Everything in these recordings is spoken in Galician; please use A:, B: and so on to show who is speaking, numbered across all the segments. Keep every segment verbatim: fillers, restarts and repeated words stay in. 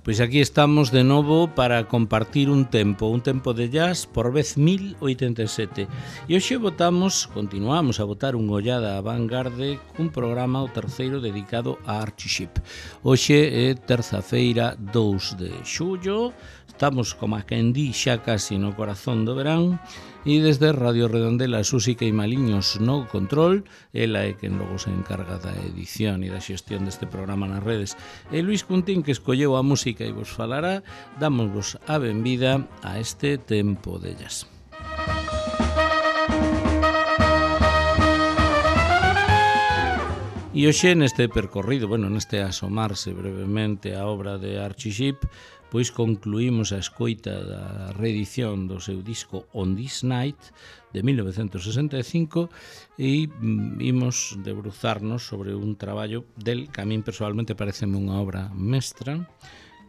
A: Pois aquí estamos de novo para compartir un tempo, un tempo de jazz por vez mil oitenta e sete. E hoxe votamos, continuamos a votar unha ollada a Vanguarde cun programa, o terceiro, dedicado a Archie Shepp. Hoxe é terza-feira, dous de xullo, estamos, como a quen di, xa casi no corazón do verán, e desde Radio Redondela, Susi Queimaliños no control, ela é quen logo se encarga da edición e da xestión deste programa nas redes, e Luis Cuntín, que escolleu a música e vos falará, dámosvos a benvida a este tempo de jazz. E hoxe neste percorrido, bueno, neste asomarse brevemente a obra de Archie Shepp, pois concluímos a escoita da reedición do seu disco On This Night de mil novecentos sesenta e cinco e imos debruzarnos sobre un traballo del que a min personalmente pareceme unha obra mestra,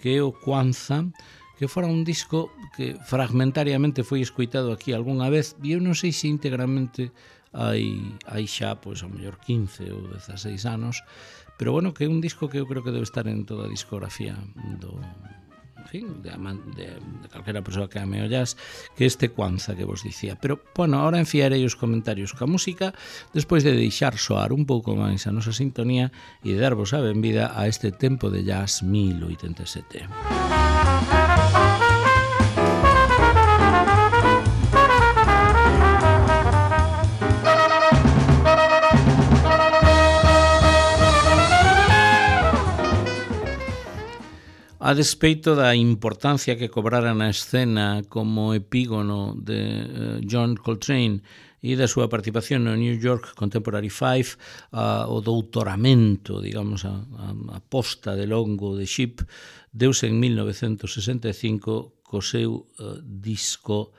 A: que é o Kwanzaa, que fora un disco que fragmentariamente foi escoitado aquí algunha vez e eu non sei se íntegramente hai, hai xa, pois, a mellor quince ou dezaseis anos, pero bueno, que é un disco que eu creo que debe estar en toda a discografía do... en fin, de, de, de calquera persoa que ame o jazz, que este Kwanzaa que vos dicía. Pero, bueno, ahora enfiarei os comentarios ca música despois de deixar soar un pouco máis a nosa sintonía e de darvos a benvida a este tempo de jazz mil oitenta e sete. A despeito da importancia que cobrara na escena como epígono de uh, John Coltrane e da súa participación no New York Contemporary Five, uh, o doutoramento, digamos, a, a, a posta de longo de Shepp, deuse en mil novecentos sesenta e cinco co seu uh, disco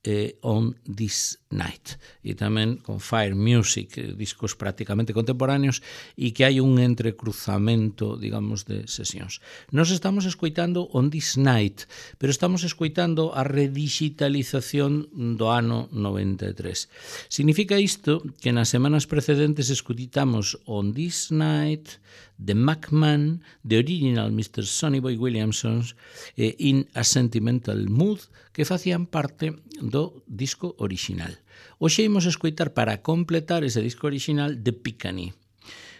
A: eh, On This Night, e tamén con Fire Music, discos prácticamente contemporáneos, e que hai un entrecruzamento, digamos, de sesións. Nos estamos escoitando On This Night, pero estamos escoitando a redigitalización do ano noventa e tres. Significa isto que nas semanas precedentes escoitamos On This Night, The McMahon, The Original mister Sonny Boy Williamson e In a Sentimental Mood, que facían parte do disco original. Hoxe imos escoitar para completar ese disco original The Piccany.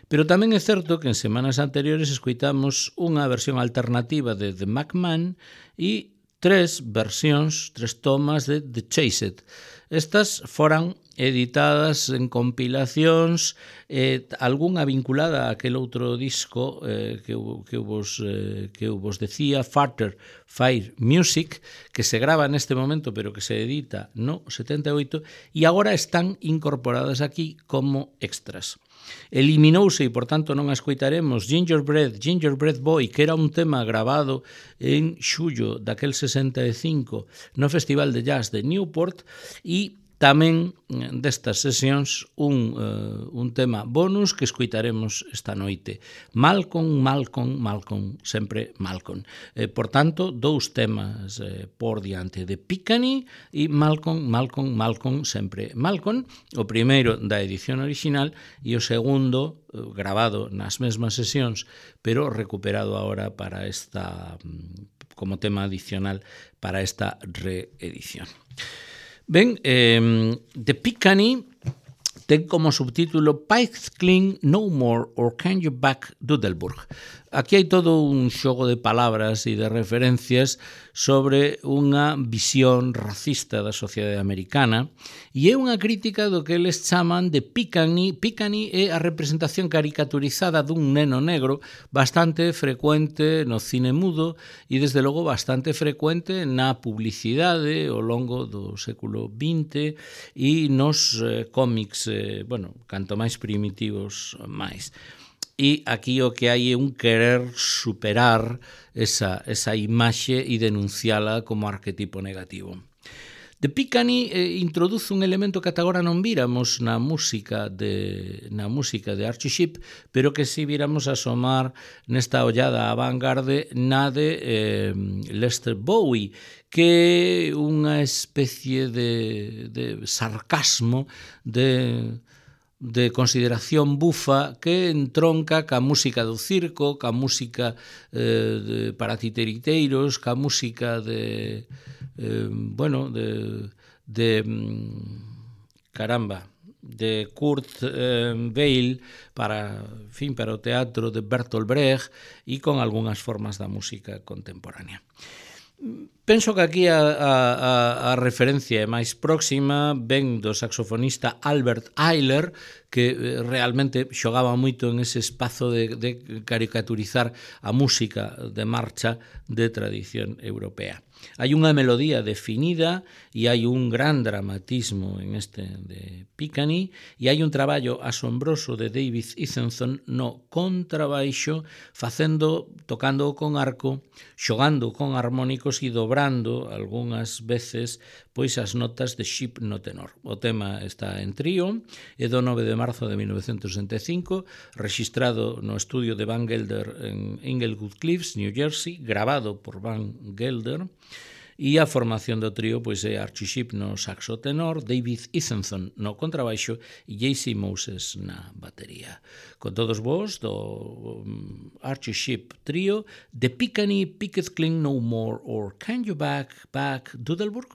A: Pero tamén é certo que en semanas anteriores escoitamos unha versión alternativa de The McMahon e tres versións, tres tomas de The Chased. Estas foran editadas en compilacións, eh, algunha vinculada a aquel outro disco eh, que, que, vos, eh, que vos decía, Farther Fire Music, que se grava neste momento pero que se edita no setenta e oito e agora están incorporadas aquí como extras. Eliminouse e, por tanto, non a escoitaremos Gingerbread, Gingerbread Boy, que era un tema grabado en xullo daquel sesenta e cinco no Festival de Jazz de Newport e tamén destas sesións un, uh, un tema bonus que escoitaremos esta noite. Malcolm, Malcolm, Malcolm, sempre Malcolm. Eh, por tanto, dous temas eh, por diante de Piccany e Malcolm, Malcolm, Malcolm, sempre Malcolm. O primeiro da edición original e o segundo eh, grabado nas mesmas sesións, pero recuperado agora para esta, como tema adicional para esta reedición. Ben, eh, The Piccany ten como subtítulo Pipes Clean No More or Can You Back Doodleburg. Aquí hai todo un xogo de palabras e de referencias sobre unha visión racista da sociedade americana e é unha crítica do que eles chaman de Piccany. Piccany é a representación caricaturizada dun neno negro bastante frecuente no cine mudo e desde logo bastante frecuente na publicidade ao longo do século vinte e nos eh, cómics, eh, bueno, canto máis primitivos máis. E aquí o que hai é un querer superar esa, esa imaxe e denunciala como arquetipo negativo. The Piccany eh, introduce un elemento que ata agora non víramos na música de na música de Archie Shepp, pero que si víramos asomar nesta ollada á vanguarde na de eh, Lester Bowie, que é unha especie de, de sarcasmo, de de consideración bufa que entronca ca música do circo, ca música eh, de, para titeriteiros, ca música de, eh, bueno, de, de caramba, de Kurt eh, Weill para, en fin, para o teatro de Bertolt Brecht e con algunhas formas da música contemporánea. Penso que aquí a, a, a referencia é máis próxima, ven do saxofonista Albert Ayler, que realmente xogaba moito en ese espazo de, de caricaturizar a música de marcha de tradición europea. Hai unha melodía definida e hai un gran dramatismo en este de Piccani e hai un traballo asombroso de David Easonson no contrabaixo, facendo, tocando con arco, xogando con armónicos e dobrando algunhas veces pois as notas de Ship no tenor. O tema está en trío, é do nove de marzo de mil novecientos sesenta e cinco, registrado no estudio de Van Gelder en Englewood Cliffs, New Jersey, grabado por Van Gelder, e a formación do trío pois é Archie Shepp no saxo tenor, David Easonson no contrabaixo e J C Moses na batería. Con todos vos do Archie Shepp trío, The Piccani Picketh Cling No More or Can You Back Back Doodleburg?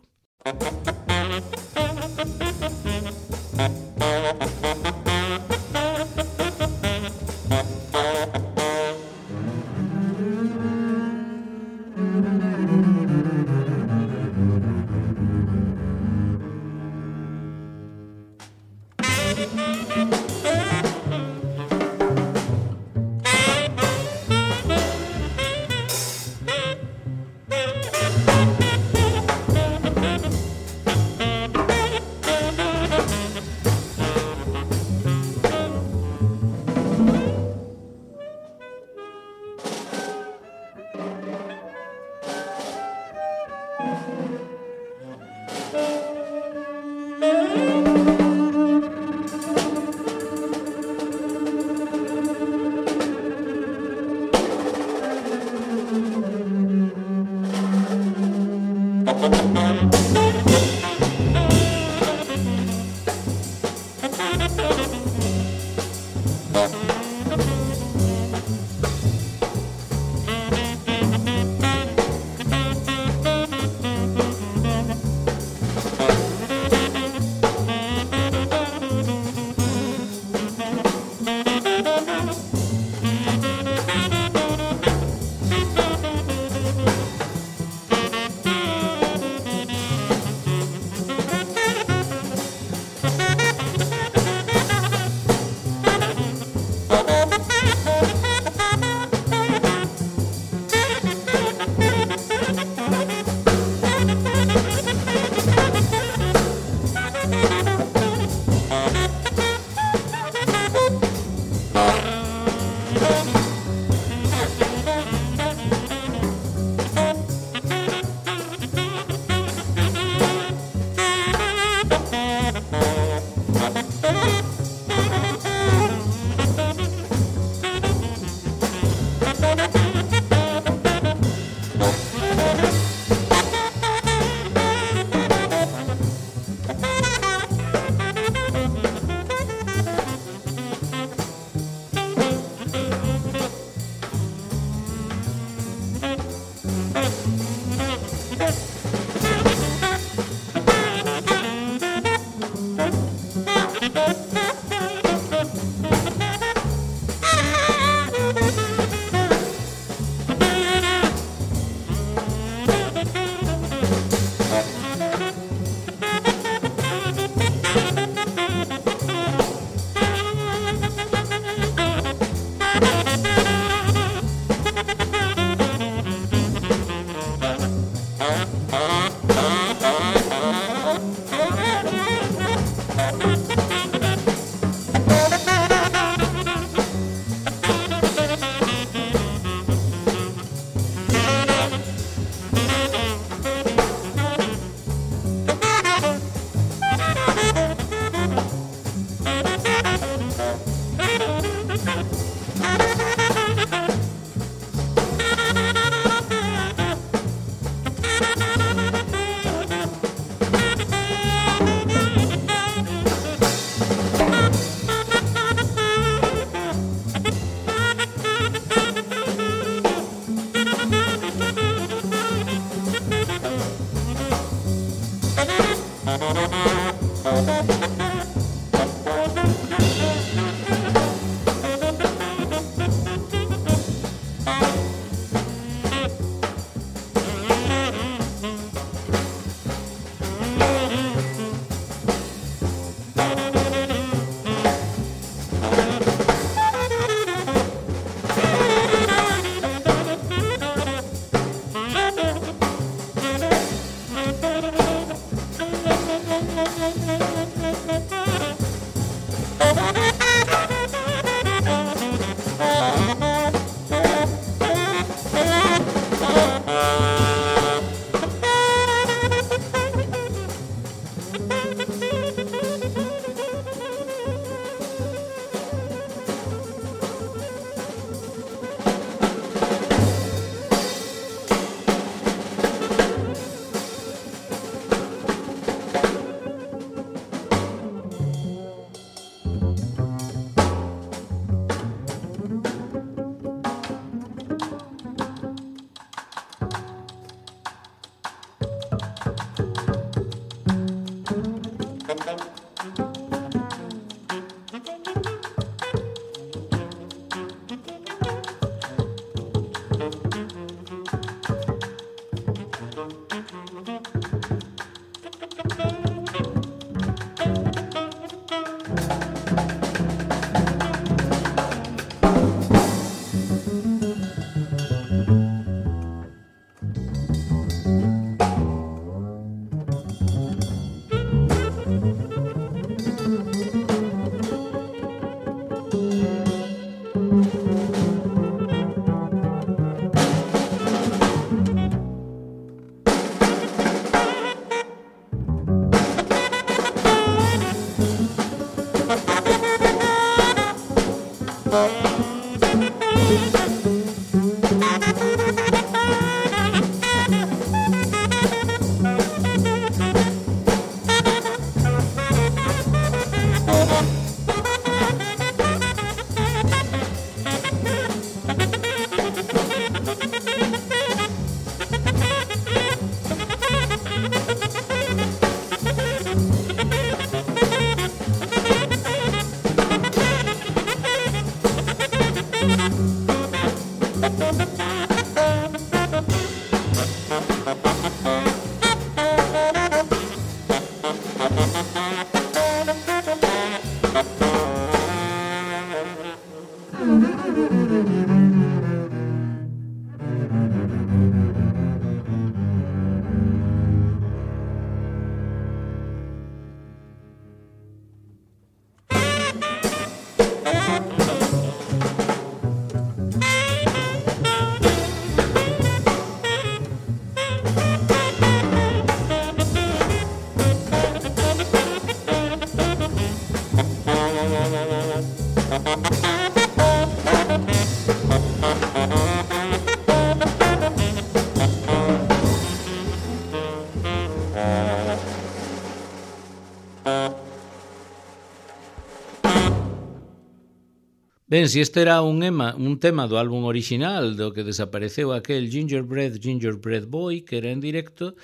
A: Ben, si este era un, ema, un tema do álbum original do que desapareceu aquel Gingerbread, Gingerbread Boy, que era en directo,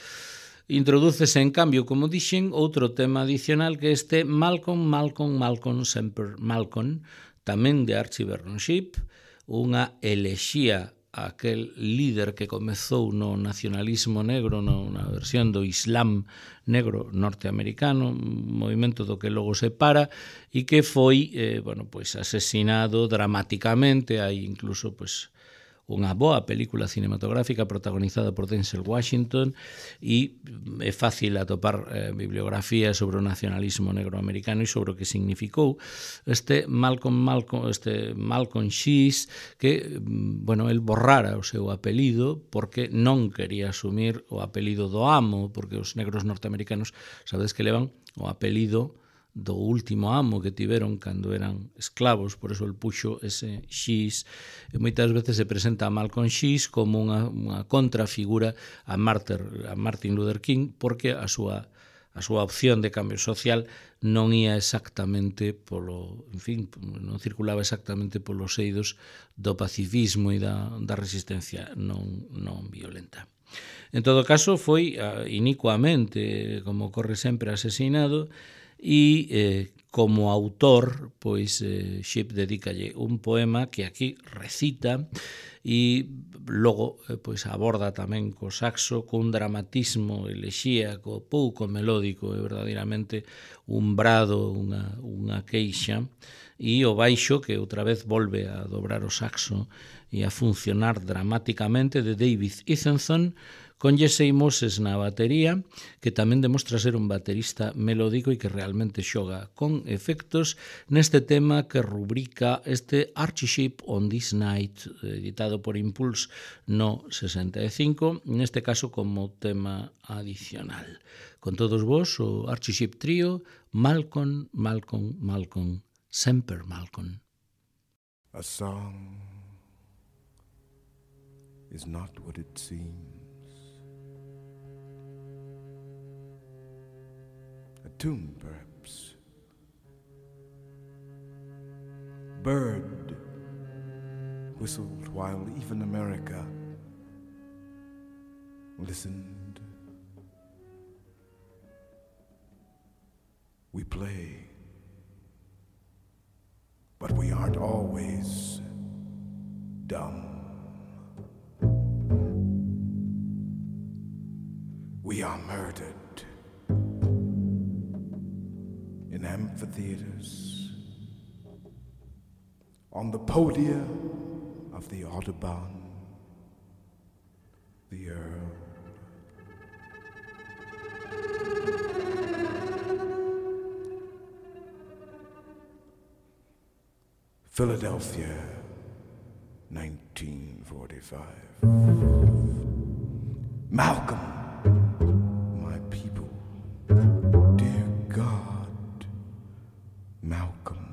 A: introdúcese en cambio, como dixen, outro tema adicional que este Malcolm, Malcolm, Malcolm, Semper Malcolm, tamén de Archie Bernship, unha elexía a aquel líder que comezou no nacionalismo negro, no, na versión do Islam negro norteamericano, un movimento do que logo se para e que foi eh, bueno, pues, asesinado dramáticamente. Hai incluso pues, unha boa película cinematográfica protagonizada por Denzel Washington e é fácil atopar eh, bibliografía sobre o nacionalismo negro americano e sobre o que significou este Malcolm Malcolm, este Malcolm X, que, bueno, el borrara o seu apelido porque non quería asumir o apelido do amo, porque os negros norteamericanos sabedes que levan o apelido do último amo que tiveron cando eran esclavos, por eso el puxo ese X, e moitas veces se presenta a Malcolm X como unha, unha contrafigura a Martin, a Martin Luther King, porque a súa a súa opción de cambio social non ia exactamente polo, en fin, non circulaba exactamente polos eidos do pacifismo e da, da resistencia non, non violenta. En todo caso, foi uh, inicuamente, como ocorre sempre, asesinado, e eh, como autor, pois eh, Shipp dedícalle un poema que aquí recita e logo eh, pois aborda tamén co saxo cun dramatismo elexíaco pouco melódico, é verdadeiramente un brado, unha, unha queixa, e o baixo que outra vez volve a dobrar o saxo e a funcionar dramáticamente de David Ethenson, con Jesse Moses na batería, que tamén demostra ser un baterista melódico e que realmente xoga con efectos neste tema que rubrica este Archie Shipp on This Night, editado por Impulse no sesenta e cinco, neste caso como tema adicional. Con todos vos, o Archie Shipp Trio, Malcolm, Malcolm, Malcolm, Semper Malcolm.
B: A song is not what it seems. A tune, perhaps. Bird whistled while even America listened. We play, but we aren't always dumb. We are murdered in amphitheaters, on the podia of the Audubon, the Earl. Philadelphia, nineteen forty-five. Malcolm, my people, dear God, Malcolm.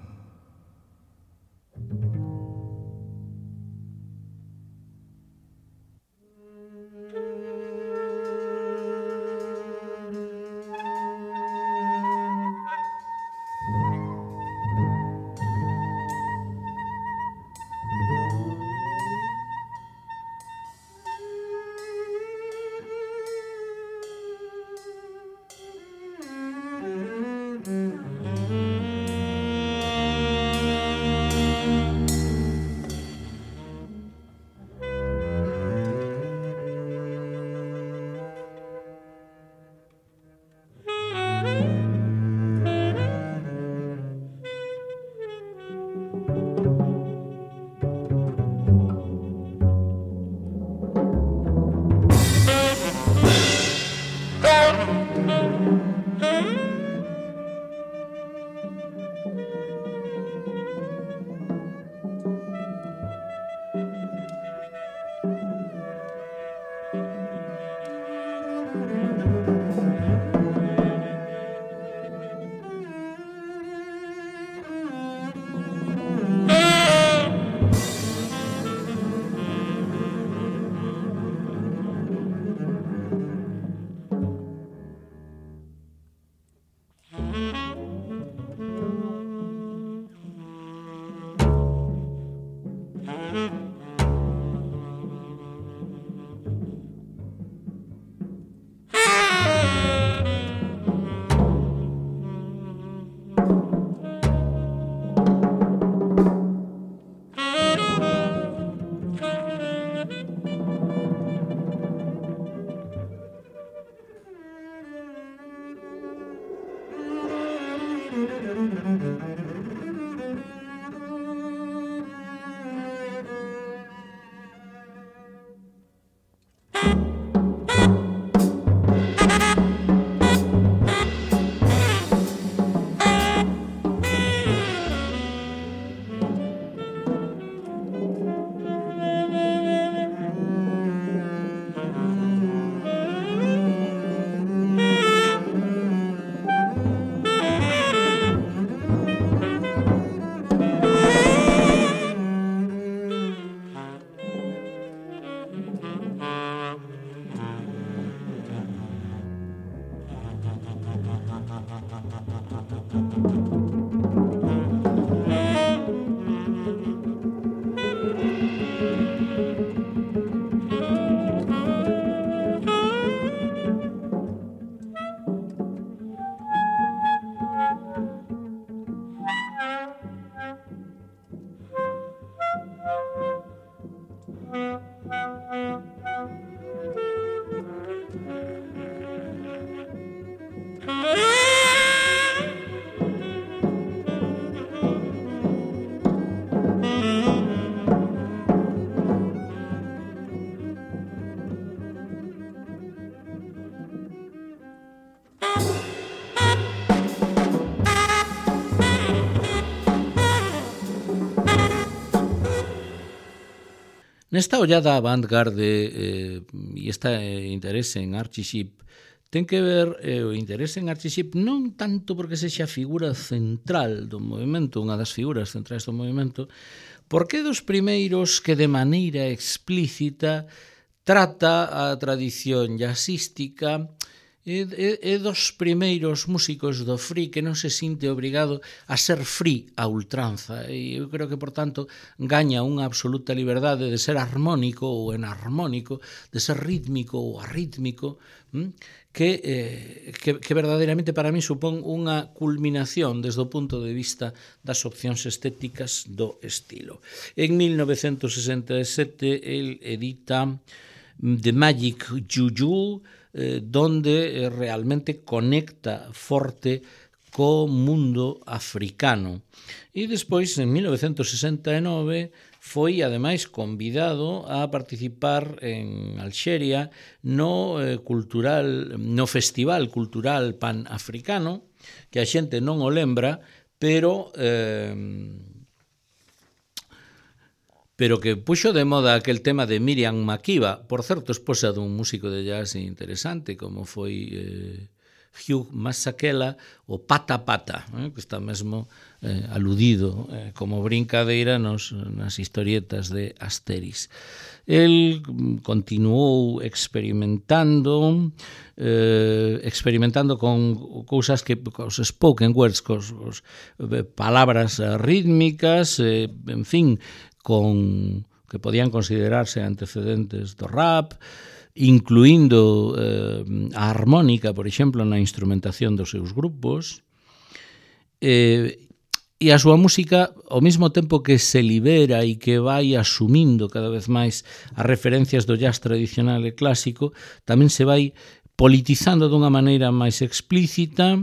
A: Nesta ollada avant-garde eh, e esta eh, interese en Archie Shepp ten que ver eh, o interese en Archie Shepp non tanto porque sexa a figura central do movimento, unha das figuras centrais do movimento, porque é dos primeiros que de maneira explícita trata a tradición jazzística. É, é, é dos primeiros músicos do free que non se sinte obrigado a ser free a ultranza, e eu creo que, por tanto, gaña unha absoluta liberdade de ser armónico ou enarmónico, de ser rítmico ou arrítmico, que, eh, que, que verdadeiramente para mí supón unha culminación desde o punto de vista das opcións estéticas do estilo. En mil novecentos sesenta e sete, el edita The Magic Juju, eh, donde realmente conecta forte co mundo africano. E despois, en mil novecentos sesenta e nove, foi, ademais, convidado a participar en Alxeria no, eh, cultural, no Festival Cultural Pan-Africano, que a xente non o lembra, pero... Eh, pero que puxo de moda aquel tema de Miriam Makeba, por certo, esposa dun músico de jazz interesante, como foi eh, Hugh Masekela, o Pata Pata, eh, que está mesmo eh, aludido eh, como brincadeira nos, nas historietas de Asterix. El continuou experimentando, eh, experimentando con cousas que, cos spoken words, cos, cos eh, palabras rítmicas, eh, en fin, con que podían considerarse antecedentes do rap, incluindo eh, a armónica, por exemplo, na instrumentación dos seus grupos, eh, e a súa música, ao mesmo tempo que se libera e que vai asumindo cada vez máis as referencias do jazz tradicional e clásico, tamén se vai politizando dunha maneira máis explícita,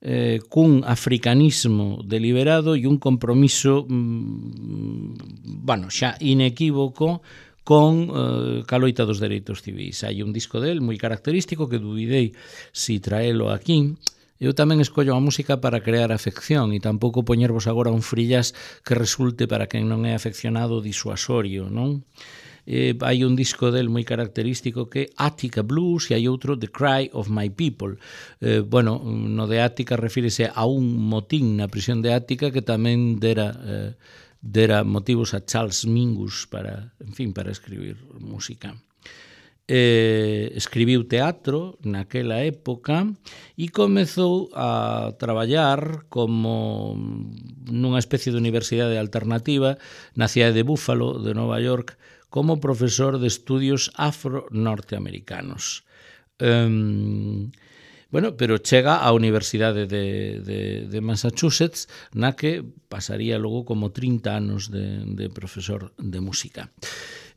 A: Eh, cun africanismo deliberado e un compromiso mm, bueno, xa inequívoco con eh, ca loita dos dereitos civis. Hai un disco del moi característico que dubidei si traelo aquí. Eu tamén escollo a música para crear afección e tampouco poñervos agora un frillas que resulte para quen non é afeccionado disuasorio, non? Eh, hai un disco del moi característico que é Attica Blues e hai outro The Cry of My People. Eh, bueno, no de Attica refírese a un motín na prisión de Attica que tamén dera, eh, dera motivos a Charles Mingus para, en fin, para escribir música. Eh, escribiu teatro naquela época e comezou a traballar como nunha especie de universidade alternativa na cidade de Buffalo, de Nova York, como profesor de estudios afro-norteamericanos. Um, bueno, pero chega á Universidade de, de, de Massachusetts, na que pasaría logo como trinta anos de, de profesor de música.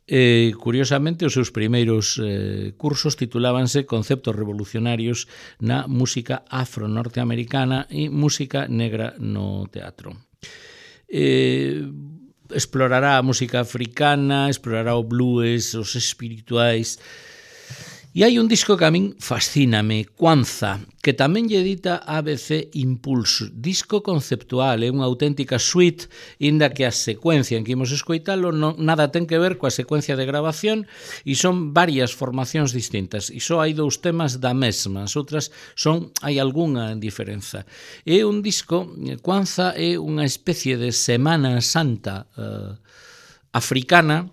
A: Eh, curiosamente, os seus primeiros eh, cursos titulábanse Conceptos revolucionarios na música afro-norteamericana e música negra no teatro. Eh, explorará a música africana, explorará o blues, os espirituais, E hai un disco que a min fascíname, Kwanzaa, que tamén lle edita A B C Impulse, disco conceptual, é unha auténtica suite, inda que a secuencia en que imos escoitalo non, nada ten que ver coa secuencia de grabación e son varias formacións distintas e só hai dous temas da mesma, as outras son, hai algunha diferenza. É un disco, Kwanzaa é unha especie de Semana Santa eh, africana,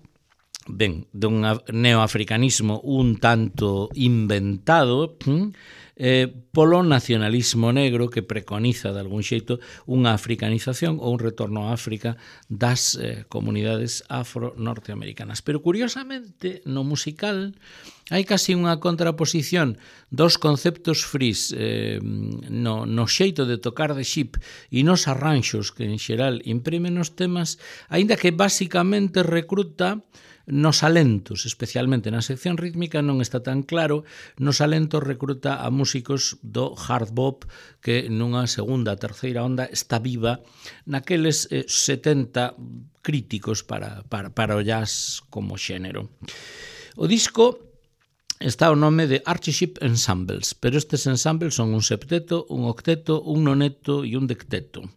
A: ben, dun neoafricanismo un tanto inventado, eh, polo nacionalismo negro que preconiza de algún xeito unha africanización ou un retorno a África das eh, comunidades afro-norteamericanas. Pero curiosamente, no musical hai casi unha contraposición dos conceptos frís eh, no, no xeito de tocar de Shipp e nos arranxos que en xeral imprimen os temas, aínda que basicamente recruta nos alentos, especialmente na sección rítmica non está tan claro, nos alentos recruta a músicos do hard bop que nunha segunda, terceira onda está viva naqueles eh, setenta críticos para, para, para o jazz como xénero. O disco está o nome de Archie Shipp Ensembles, pero estes ensembles son un septeto, un octeto, un noneto e un decteto.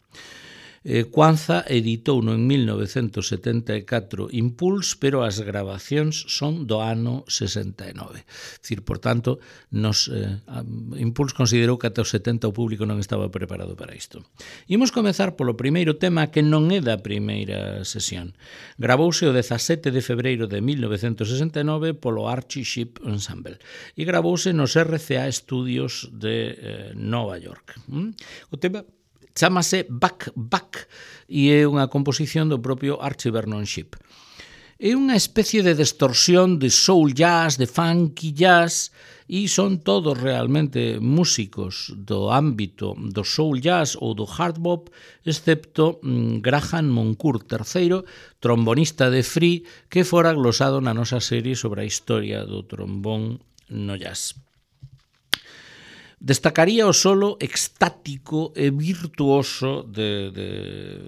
A: Eh, Kwanzaa editouno en mil novecentos setenta e catro Impulse, pero as grabacións son do ano sesenta e nove. É dicir, por tanto, nos, eh, Impulse considerou que ata os setenta o público non estaba preparado para isto. Imos comezar polo primeiro tema que non é da primeira sesión. Gravouse o dezasete de febreiro de mil novecentos sesenta e nove polo Archie Shipp Ensemble e gravouse nos R C A Studios de eh, Nova York. ¿Mm? O tema chámase Back Back e é unha composición do propio Archie Vernon Shipp. É unha especie de distorsión de soul jazz, de funky jazz, e son todos realmente músicos do ámbito do soul jazz ou do hard bop, excepto mm, Graham Moncourt terceiro, trombonista de Free, que fora glosado na nosa serie sobre a historia do trombón no jazz. Destacaría o solo extático e virtuoso de, de,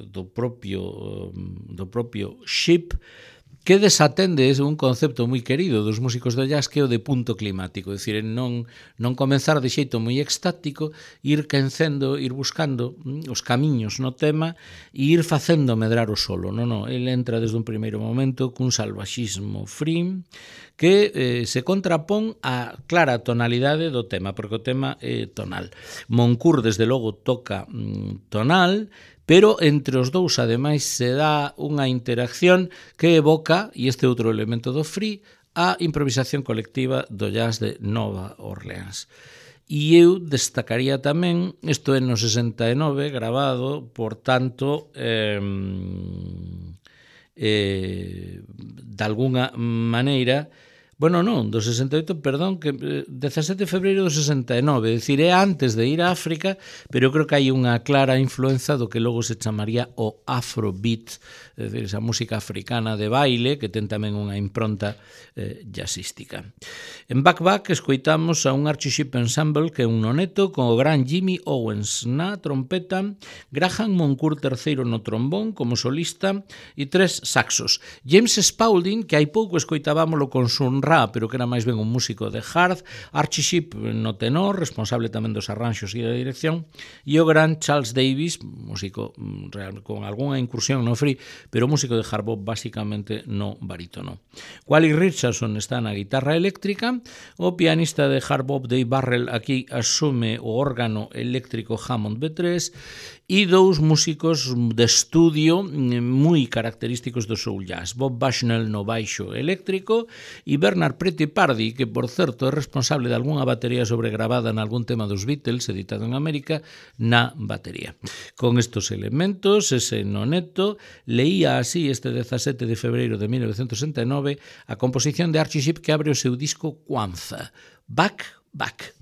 A: do propio do propio Shipp, que desatende ese un concepto moi querido dos músicos do jazz, que é o de punto climático, é dicir, non, non comenzar de xeito moi extático, ir quencendo, ir buscando os camiños no tema e ir facendo medrar o solo. Non, non, ele entra desde un primeiro momento cun salvaxismo free que eh, se contrapón á clara tonalidade do tema, porque o tema é tonal. Moncourt, desde logo, toca mm, tonal, pero entre os dous, ademais, se dá unha interacción que evoca, e este outro elemento do free, a improvisación colectiva do jazz de Nova Orleans. E eu destacaría tamén, isto é no sesenta e nove, grabado, por tanto, eh, eh, de alguna maneira, bueno, non, do sesenta e oito, perdón, que dezasete de febreiro do sesenta e nove, é dicir, é antes de ir a África, pero creo que hai unha clara influenza do que logo se chamaría o Afrobeat, é dicir, esa música africana de baile, que ten tamén unha impronta eh, jazzística. En Back Back escoitamos a un Archie Shipp Ensemble que é un noneto con o gran Jimmy Owens na trompeta, Graham Moncourt terceiro no trombón como solista e tres saxos. James Spaulding, que hai pouco escoitábamolo con Sun Ra, pero que era máis ben un músico de hard, Archie Shipp no tenor, responsable tamén dos arranxos e da dirección, e o gran Charles Davis, músico real, con algunha incursión no free, pero músico de hard bop basicamente no barítono. Wally Richardson está na guitarra eléctrica, o pianista de hard bop Dave Barrell aquí asume o órgano eléctrico Hammond B tres e dous músicos de estudio moi característicos do soul jazz, Bob Bushnell no baixo eléctrico e Bernard Pretty Pardy, que por certo é responsable de algunha batería sobregrabada en algún tema dos Beatles editado en América, na batería. Con estos elementos, ese noneto leía así este dezasete de febreiro de mil novecentos sesenta e nove a composición de Archie Shipp que abre o seu disco Kwanzaa, Back Back.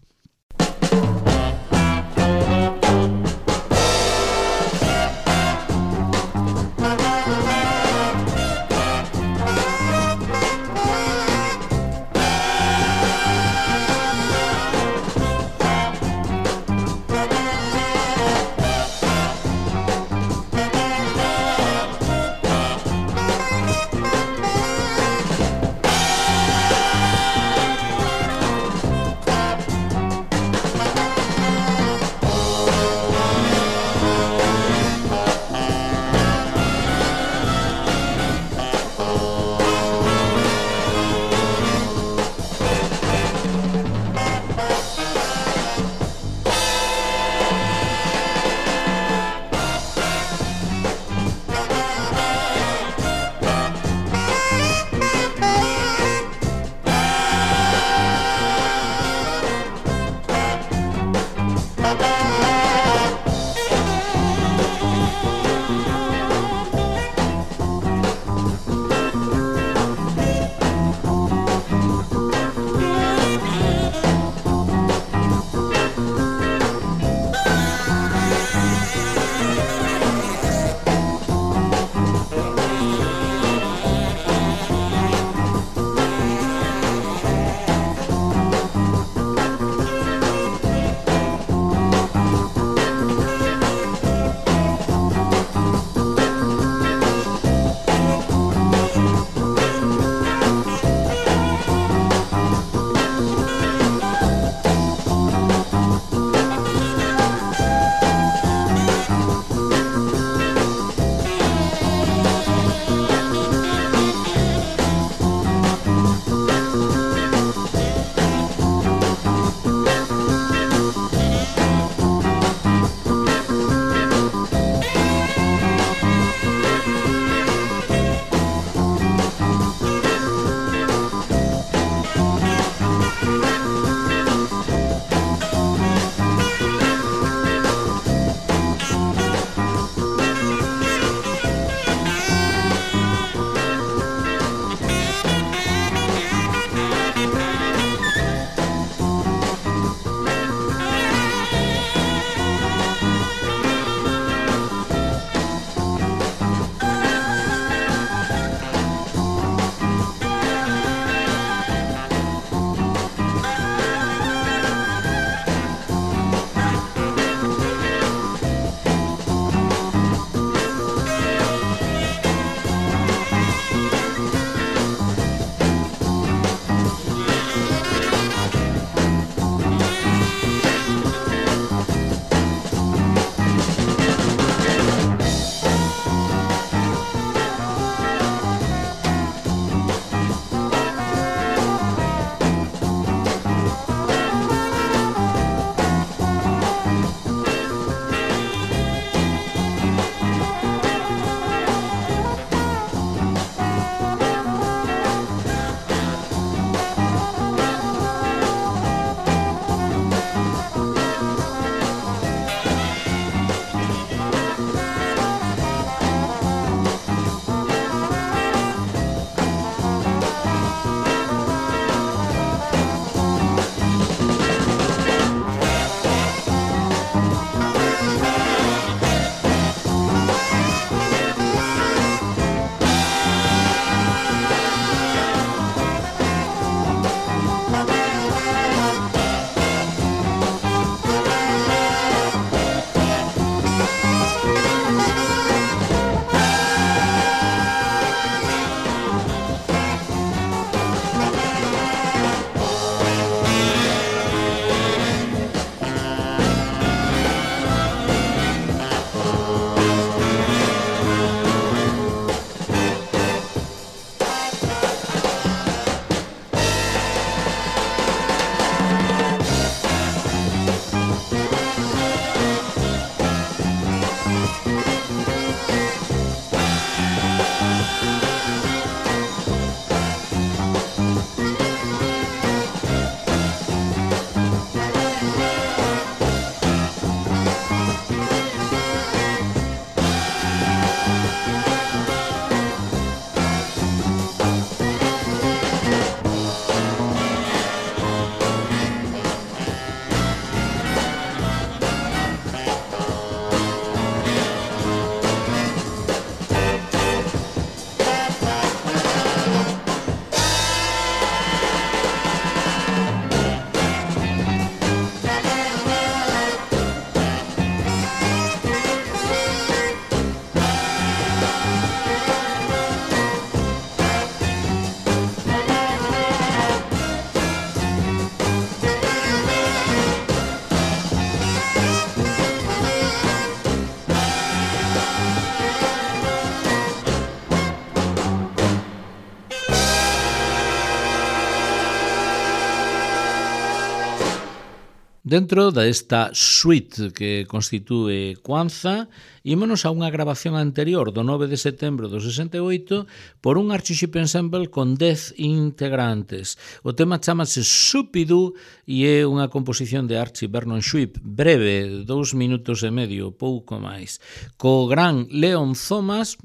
A: Dentro desta suite que constitúe Kwanzaa, ímonos a unha grabación anterior do nove de setembro do sesenta e oito por un Archie Shepp Ensemble con dez integrantes. O tema chamase Shooby-Doo e é unha composición de Archie Vernon Sweep, breve, dous minutos e medio, pouco máis. Co gran Leon Thomas,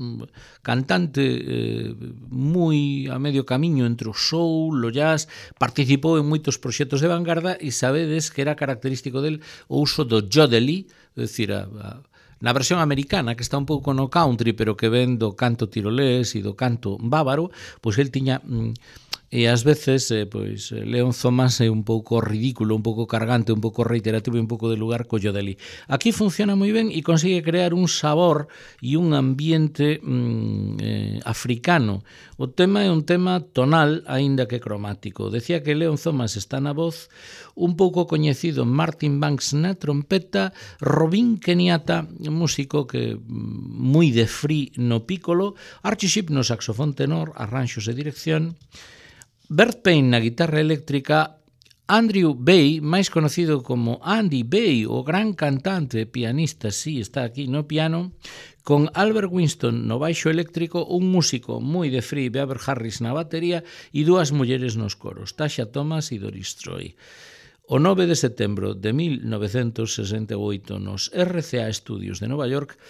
A: cantante eh, moi a medio camiño entre o soul, o jazz, participou en moitos proxectos de vanguarda e sabedes que era característico del o uso do jodeli, é dicir, a, a, na versión americana, que está un pouco no country, pero que ven do canto tirolés e do canto bávaro, pois el tiña... Mm, e ás veces, eh, pois, Leon Thomas é un pouco ridículo, un pouco cargante, un pouco reiterativo e un pouco de lugar co jodeli. Aquí funciona moi ben e consigue crear un sabor e un ambiente mm, eh, africano. O tema é un tema tonal, aínda que cromático. Decía que Leon Thomas está na voz, un pouco coñecido Martin Banks na trompeta, Robin Kenyatta, músico que moi de free no piccolo, Archie Shepp no saxofón tenor, arranxos e dirección, Bert Payne na guitarra eléctrica, Andrew Bay, máis conocido como Andy Bay, o gran cantante e pianista, sí, está aquí no piano, con Albert Winston no baixo eléctrico, un músico moi de free, Beaver Harris na batería e dúas mulleres nos coros, Tasha Thomas e Doris Troy. O nove de setembro de mil novecentos sesenta e oito nos R C A Studios de Nova York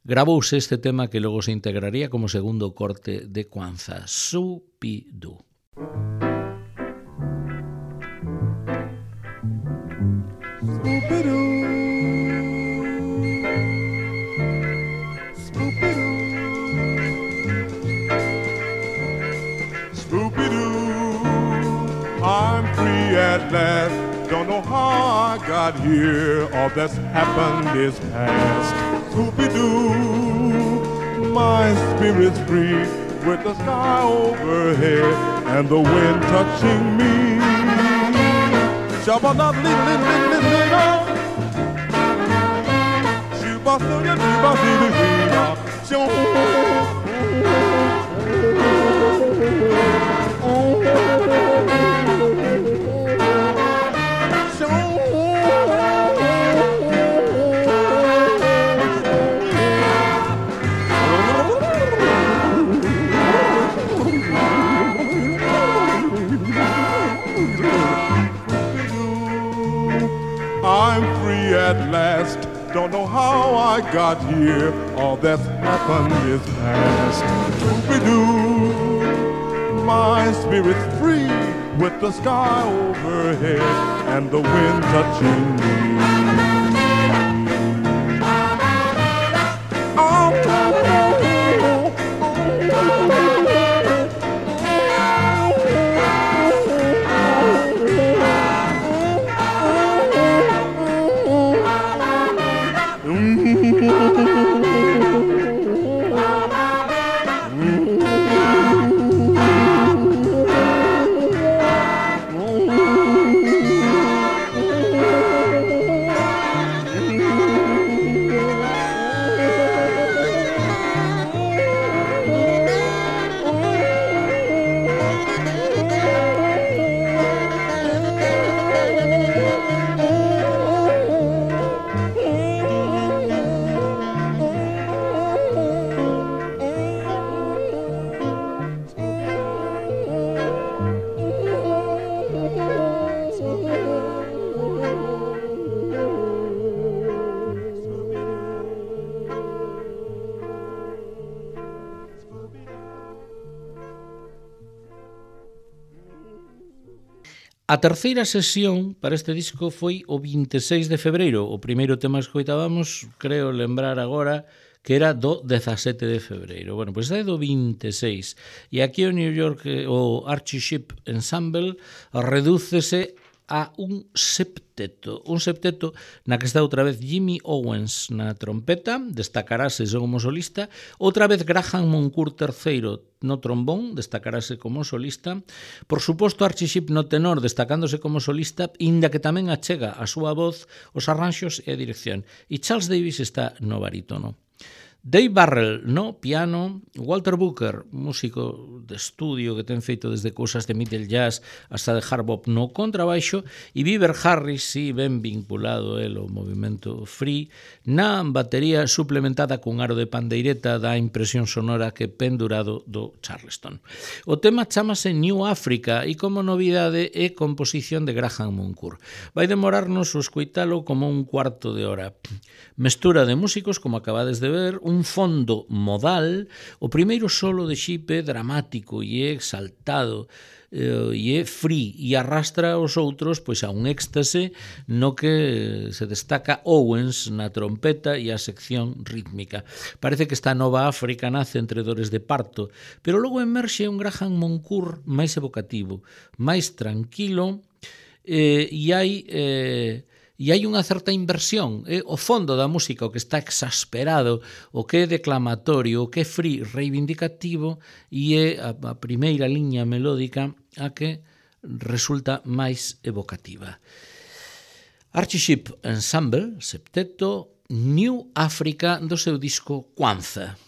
A: gravouse este tema que logo se integraría como segundo corte de Kwanzaa, Shooby-Doo.
B: Spoopy-doo, Spoopy-doo, Spoopy-doo, I'm free at last. Don't know how I got here. All that's happened is past. Spoopy-doo, my spirit's free with the sky overhead and the wind touching me. Shabba-dabba-dee-dee-dee-dee-dee-dee-dee. I'm free at last. Don't know how I got here. All that's happened is past. Scooby-Doo, my spirit's free with the sky overhead and the wind touching me. Oh,
A: A terceira sesión para este disco foi o vinte e seis de febreiro. O primeiro tema que escoitábamos, creo lembrar agora, que era do dezasete de febreiro. Bueno, pois é do vinte e seis. E aquí o New York, o Archie Shepp Ensemble, redúcese a un septeto. Un septeto na que está outra vez Jimmy Owens na trompeta, destacarase como solista, outra vez Graham Moncourt terceiro no trombón, destacarase como solista, por suposto Archie Shepp no tenor, destacándose como solista, inda que tamén achega a súa voz, os arranxos e a dirección. E Charles Davis está no barítono. Dave Barrell no piano, Walter Booker, músico de estudio que ten feito desde cousas de middle jazz hasta de hard bop no contrabaixo, e Beaver Harris, si ben vinculado el ao movimento free, na batería suplementada cun aro de pandeireta da impresión sonora que pendurado do Charleston. O tema chamase New Africa e como novidade é composición de Graham Moncourt. Vai demorarnos o escoitalo como un cuarto de hora. Mestura de músicos, como acabades de ver, un fondo modal, o primeiro solo de Xipe dramático e é exaltado, eh, e é free e arrastra os outros pois a un éxtase no que se destaca Owens na trompeta e a sección rítmica. Parece que esta nova África nace entre dores de parto, pero logo emerxe un Graham Moncourt máis evocativo, máis tranquilo, eh, e hai... Eh, E hai unha certa inversión, eh? O fondo da música, o que está exasperado, o que é declamatorio, o que é free, reivindicativo, e é a, a primeira liña melódica a que resulta máis evocativa. Archie Shepp Ensemble, septeto, New Africa, do seu disco Kwanzaa.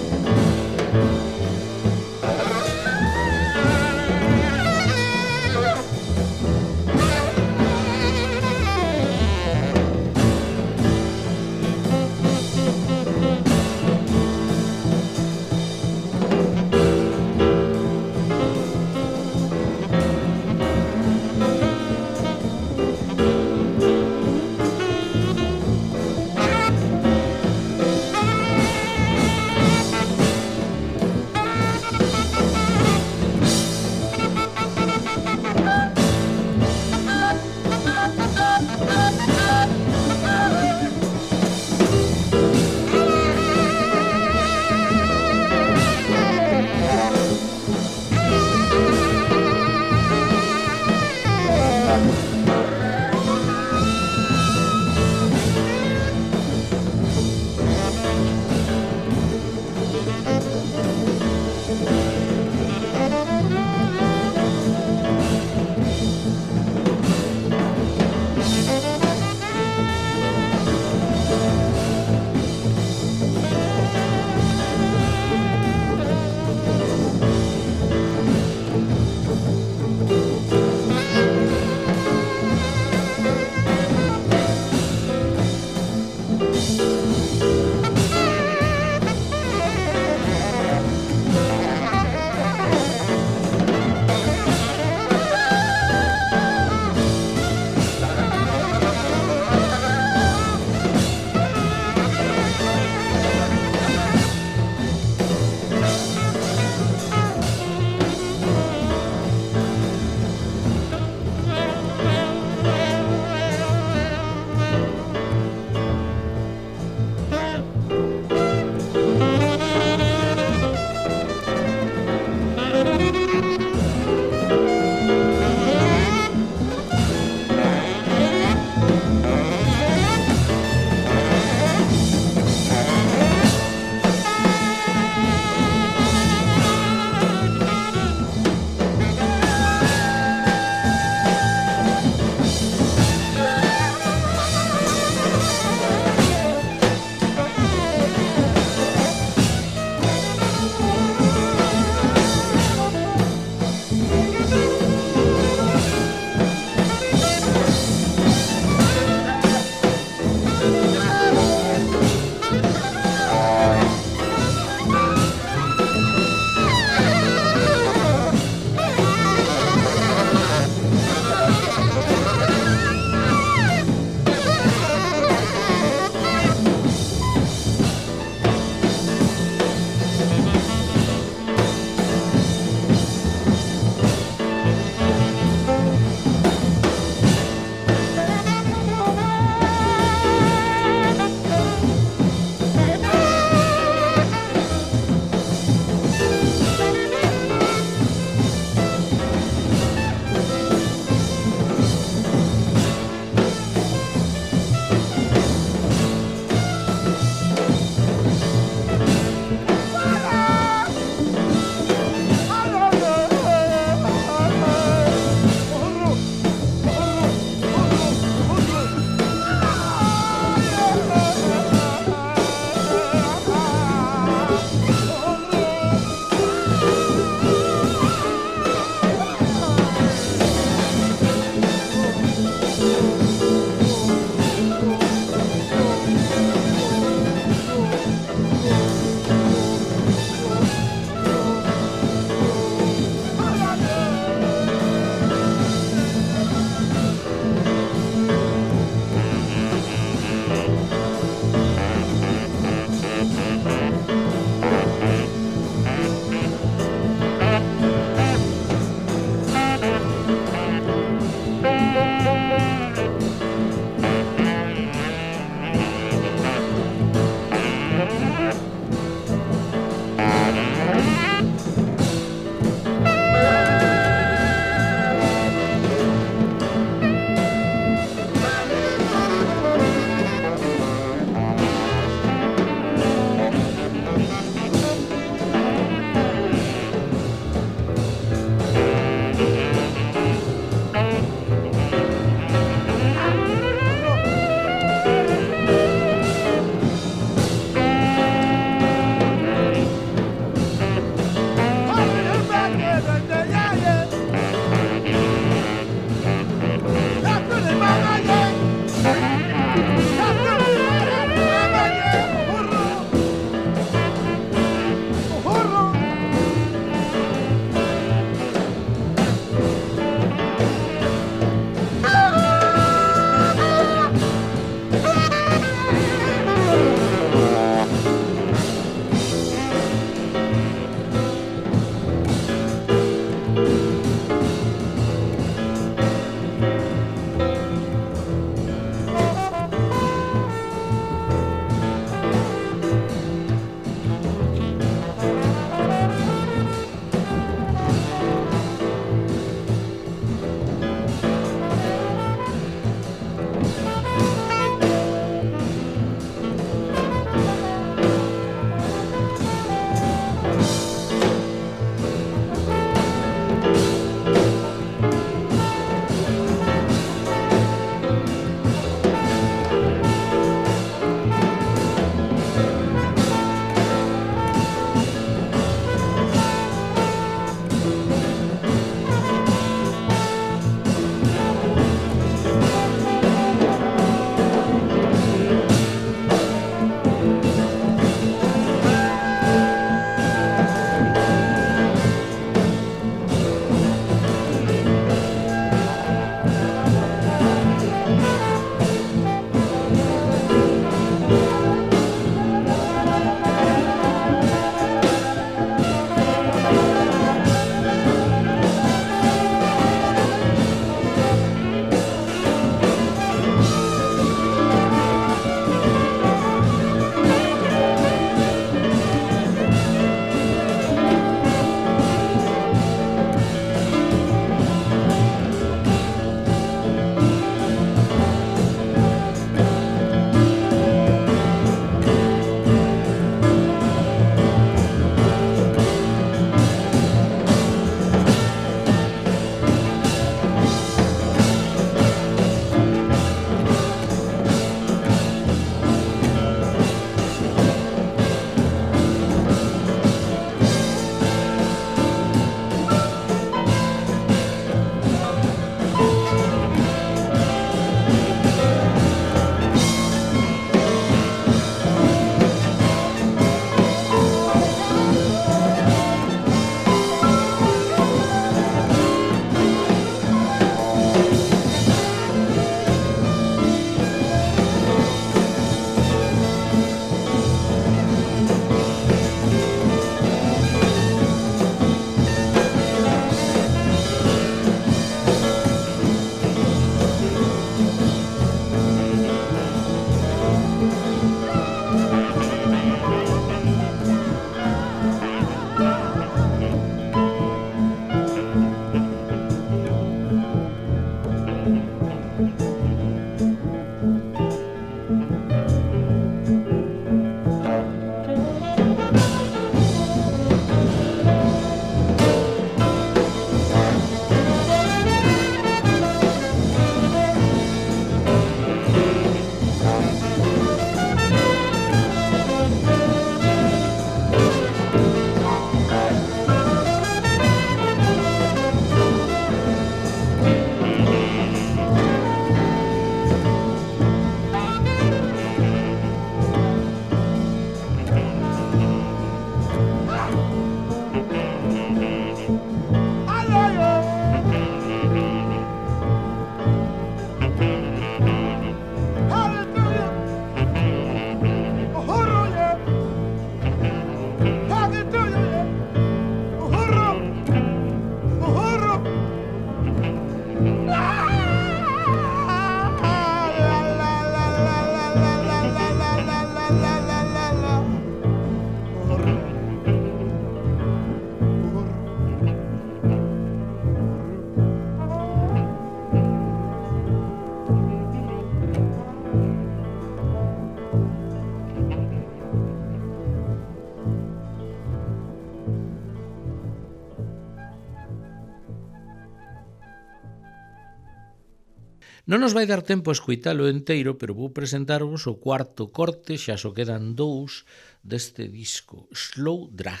A: Non nos vai dar tempo a escuitalo enteiro, pero vou presentarvos o cuarto corte, xa só quedan dous deste disco, Slow Drag.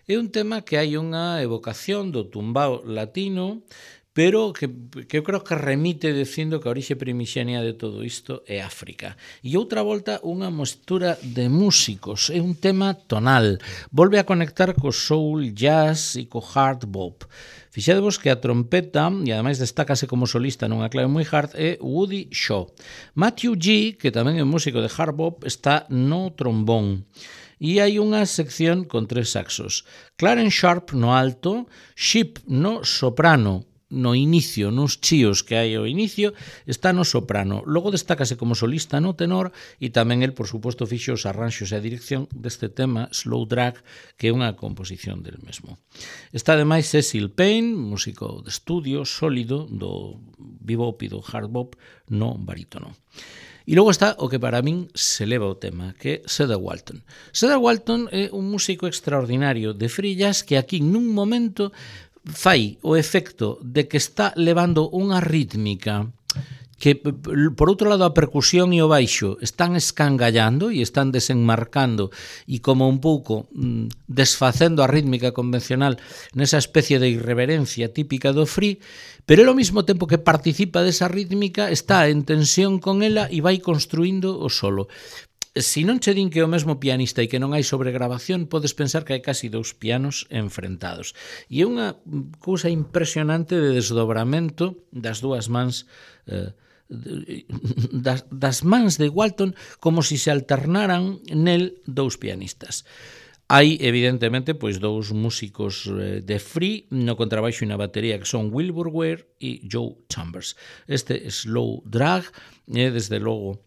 A: É un tema que hai unha evocación do tumbao latino, pero que, que eu creo que remite dicindo que a orixe primixenia de todo isto é África. E outra volta unha mestura de músicos, é un tema tonal, volve a conectar co soul, jazz e co hard bop. Fixadevos que a trompeta, e ademais destácase como solista nunha clave moi hard, é Woody Shaw. Matthew G, que tamén é músico de hard bop, está no trombón. E hai unha sección con tres saxos. Clarence Sharp no alto, Shipp no soprano, no inicio, nos chíos que hai ao inicio, está no soprano. Logo destácase como solista no tenor e tamén el, por suposto, fixo os arranxos e a dirección deste tema Slow Drag, que é unha composición del mesmo. Está ademais Cecil Payne, músico de estudio sólido do bebop e do hard bop no barítono. E logo está o que para min se leva o tema, que é Cedar Walton. Cedar Walton é un músico extraordinario de free jazz que aquí nun momento fai o efecto de que está levando unha rítmica que, por outro lado, a percusión e o baixo están escangallando e están desenmarcando e como un pouco mm, desfacendo a rítmica convencional nesa especie de irreverencia típica do free, pero ao mesmo tempo que participa desa rítmica está en tensión con ela e vai construindo o solo. Se non che din que é o mesmo pianista e que non hai sobregravación, podes pensar que hai casi dous pianos enfrentados. E é unha cousa impresionante de desdobramento das dúas mans, eh, das, das mans de Walton, como se se alternaran nel dous pianistas. Hai, evidentemente, pois dous músicos de free no contrabaixo e na batería que son Wilbur Ware e Joe Chambers. Este Slow Drag é, desde logo,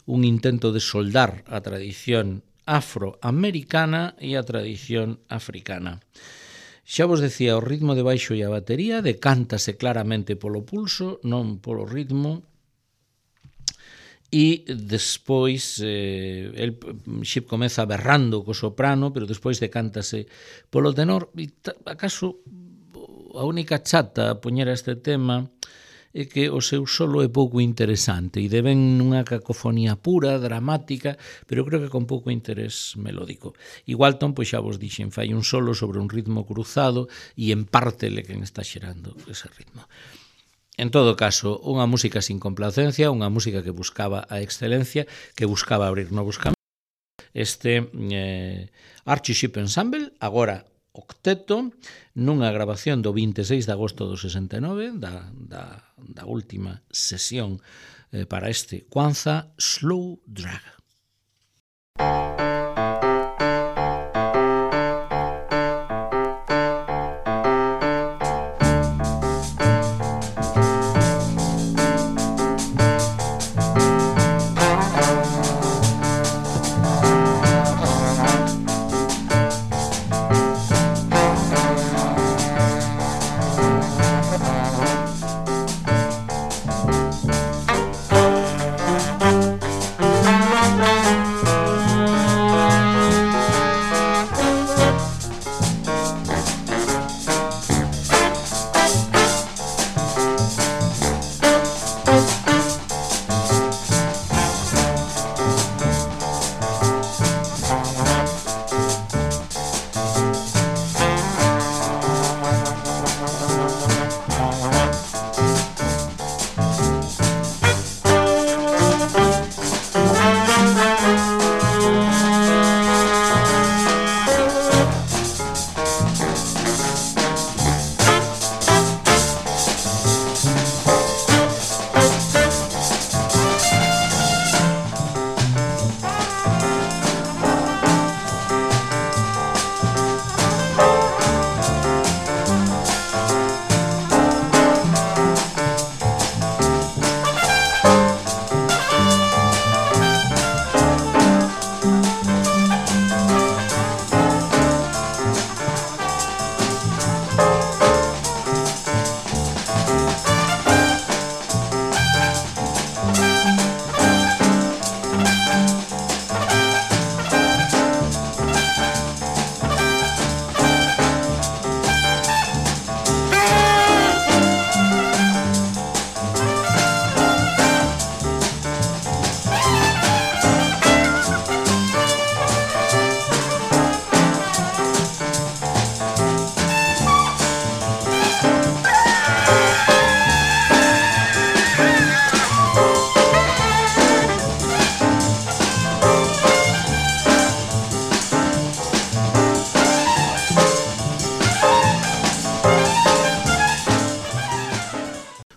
A: un intento de soldar a tradición afroamericana e a tradición africana. Xa vos decía, o ritmo de baixo e a batería decántase claramente polo pulso, non polo ritmo. E despois eh, el Shipp comeza berrando co soprano, pero despois decántase polo tenor. E acaso a única chata a poñer a este tema é que o seu solo é pouco interesante e deben nunha cacofonía pura, dramática, pero creo que con pouco interés melódico. E Walton, pois xa vos dixen, fai un solo sobre un ritmo cruzado e en parte le quen está xerando ese ritmo. En todo caso, unha música sin complacencia, unha música que buscaba a excelencia, que buscaba abrir novos caminos. Este eh, Archie Shipp Ensemble, agora octeto, nunha grabación do vinte e seis de agosto do sesenta e nove, da, da, da última sesión eh, para este Kwanzaa, Slow Drag.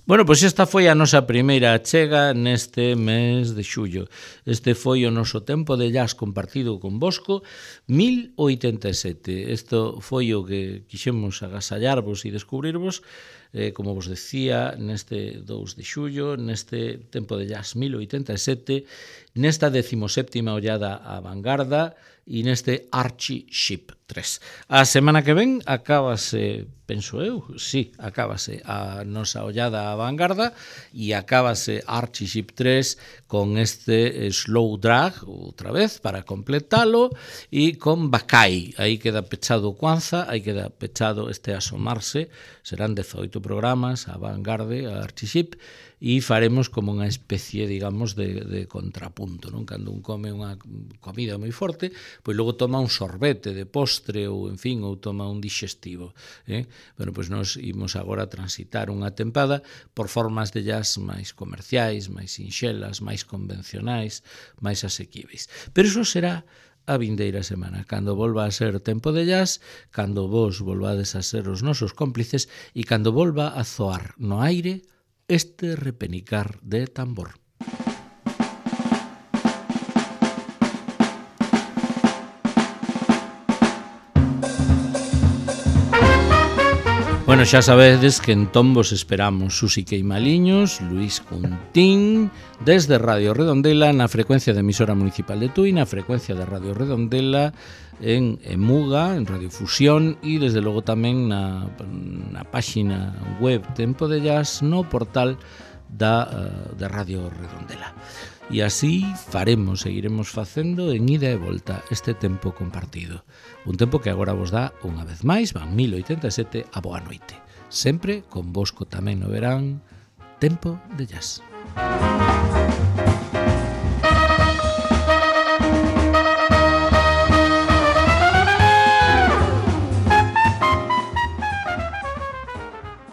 A: Bueno, pois esta foi a nosa primeira chega neste mes de xullo. Este foi o noso tempo de jazz compartido con Bosco, mil oitenta e sete. Isto foi o que quixemos agasallarvos e descubrirvos, eh, como vos decía, neste dous de xullo, neste tempo de jazz mil oitenta e sete, nesta decimoséptima ollada á vanguarda e neste Archie Ship tres. A semana que ven acábase, penso eu, sí, acábase a nosa ollada á vanguarda e acábase Archie Ship tres con este slow drag outra vez para completalo e con Bacai. Aí queda pechado o Kwanzaa, aí queda pechado este asomarse, serán dezoito programas a vanguarda, a Archie Ship, e faremos como unha especie, digamos, de, de contrapunto, non? Cando un come unha comida moi forte, pois logo toma un sorbete de postre ou, en fin, ou toma un digestivo. Eh? Bueno, pois nós imos agora transitar unha tempada por formas de jazz máis comerciais, máis sinxelas, máis convencionais, máis asequíveis. Pero iso será a vindeira semana, cando volva a ser tempo de jazz, cando vos volvades a ser os nosos cómplices e cando volva a zoar no aire este repenicar de tambor. Bueno, xa sabedes que entón vos esperamos Susi Queimaliños, Luis Cuntín, desde Radio Redondela, na frecuencia de emisora municipal de Tui, na frecuencia de Radio Redondela, en Emuga, en Radiofusión e desde logo tamén na, na páxina web Tempo de Jazz no portal da, uh, de Radio Redondela. E así faremos, seguiremos facendo en ida e volta este tempo compartido. Un tempo que agora vos dá unha vez máis, van mil oitenta e sete, a boa noite. Sempre con Bosco tamén no verán, Tempo de Jazz.